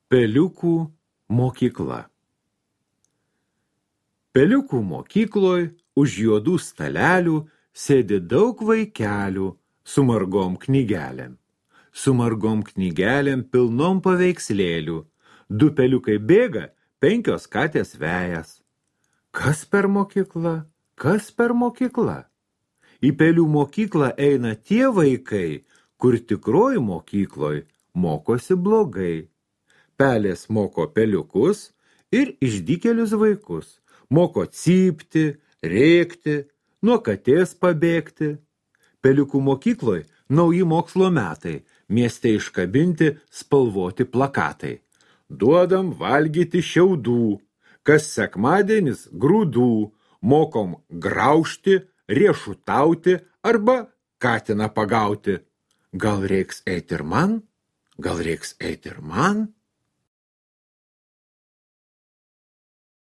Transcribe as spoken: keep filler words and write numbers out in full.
Peliukų mokykla. Peliukų mokykloj už juodų stalelių sėdi daug vaikelių su margom knygelėm. Su margom knygelėm pilnom paveikslėlių. Du peliukai bėga, penkios katės vejas. Kas per mokykla? Kas per mokykla? Į pelių mokyklą eina tie vaikai, kur tikroji mokykloj mokosi blogai. Pelės moko peliukus ir išdykėlius vaikus. Moko cypti, rėkti, nuo katės pabėgti. Peliukų mokykloj nauji mokslo metai, mieste iškabinti spalvoti plakatai. Duodam valgyti šiaudų, kas sekmadienis grūdų, mokom graužti, riešutauti arba katiną pagauti. Gal reiks eit ir man? Gal reiks eit ir man?